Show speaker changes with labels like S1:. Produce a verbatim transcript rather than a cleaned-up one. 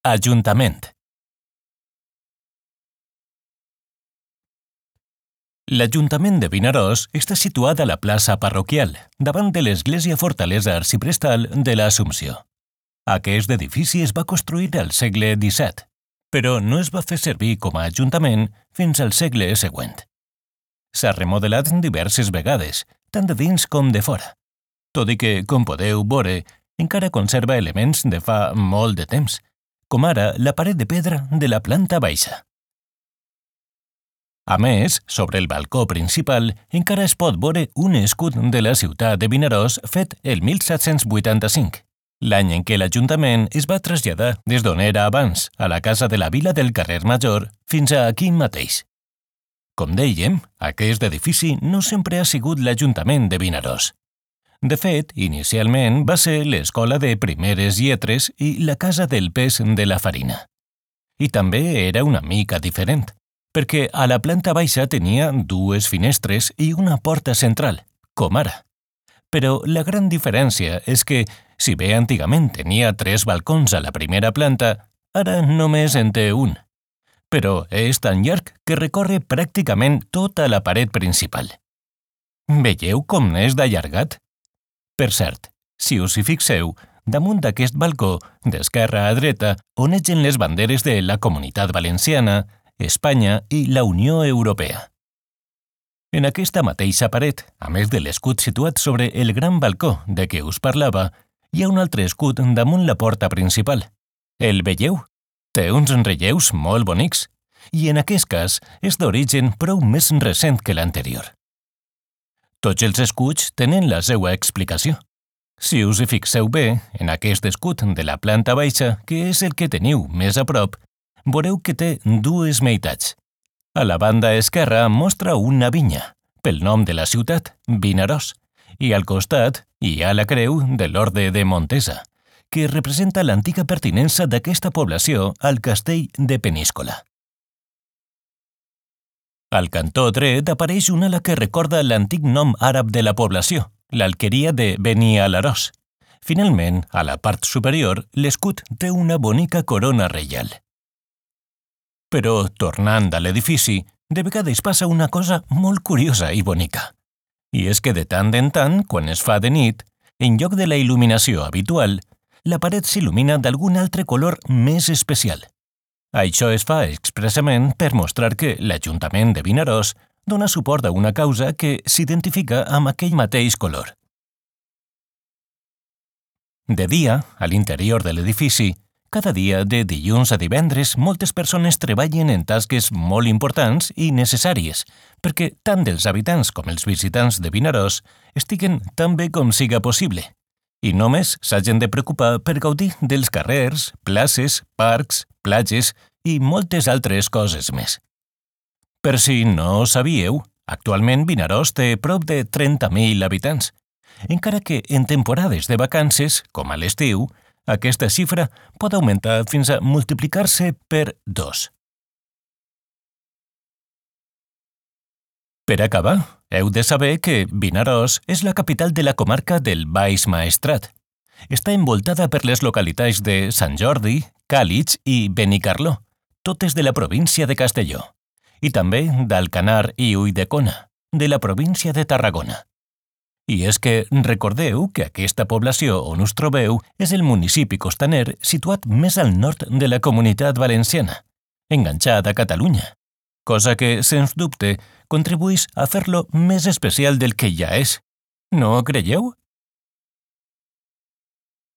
S1: Ajuntament. L'Ajuntament de Vinaròs està situat a la plaça parroquial, davant de l'església fortalesa arxiprestal de l'Assumpció. Aquest edifici es va construir al segle disset, però no es va fer servir com a ajuntament fins al segle següent. S'ha remodelat diverses vegades, tant de dins com de fora, tot i que, com podeu veure, encara conserva elements de fa molt de temps, com ara la paret de pedra de la planta baixa. A més, sobre el balcó principal encara es pot veure un escut de la ciutat de Vinaròs fet el mil set-cents vuitanta-cinc, l'any en què l'Ajuntament es va traslladar des d'on era abans, a la casa de la Vila del carrer Major, fins a aquí mateix. Com dèiem, aquest edifici no sempre ha sigut l'Ajuntament de Vinaròs. De fet, inicialment va ser l'Escola de Primeres Lletres i la Casa del Pes de la Farina. I també era una mica diferent, perquè a la planta baixa tenia dues finestres i una porta central, com ara. Però la gran diferència és que, si bé antigament tenia tres balcons a la primera planta, ara només en té un. Però és tan llarg que recorre pràcticament tota la paret principal. Veieu com n'és d'allargat? Per cert, si us hi fixeu, damunt d'aquest balcó, d'esquerra a dreta, onegen les banderes de la Comunitat Valenciana, Espanya i la Unió Europea. En aquesta mateixa paret, a més de l'escut situat sobre el gran balcó de què us parlava, hi ha un altre escut damunt la porta principal. El veieu? Té uns relleus molt bonics, i en aquest cas és d'origen prou més recent que l'anterior. Tots els escuts tenen la seva explicació. Si us hi fixeu bé, en aquest escut de la planta baixa, que és el que teniu més a prop, veureu que té dues meitats. A la banda esquerra mostra una vinya, pel nom de la ciutat, Vinaròs, i al costat hi ha la creu de l'Orde de Montesa, que representa l'antiga pertinença d'aquesta població al castell de Peníscola. Al cantó dret apareix una ala que recorda l'antic nom àrab de la població, l'alqueria de Beni Alarós. Finalment, a la part superior, l'escut té una bonica corona reial. Però, tornant a l'edifici, de vegades passa una cosa molt curiosa i bonica. I és que de tant en tant, quan es fa de nit, en lloc de la il·luminació habitual, la paret s'il·lumina d'algun altre color més especial. Això es fa expressament per mostrar que l'Ajuntament de Vinaròs dona suport a una causa que s'identifica amb aquell mateix color. De dia, a l'interior de l'edifici, cada dia de dilluns a divendres, moltes persones treballen en tasques molt importants i necessàries perquè tant els habitants com els visitants de Vinaròs estiguen tan bé com siga possible i només s'hagin de preocupar per gaudir dels carrers, places, parcs, platges i moltes altres coses més. Per si no ho sabíeu, actualment Vinaròs té prop de trenta mil habitants, encara que en temporades de vacances, com a l'estiu, aquesta xifra pot augmentar fins a multiplicar-se per dos. Per acabar, heu de saber que Vinaròs és la capital de la comarca del Baix Maestrat. Està envoltada per les localitats de Sant Jordi, Càlig i Benicarló, totes de la província de Castelló, i també d'Alcanar i Ulldecona, de la província de Tarragona. I és que recordeu que aquesta població on us trobeu és el municipi costaner situat més al nord de la Comunitat Valenciana, enganxat a Catalunya, cosa que, sens dubte, contribueix a fer-lo més especial del que ja és. No ho creieu?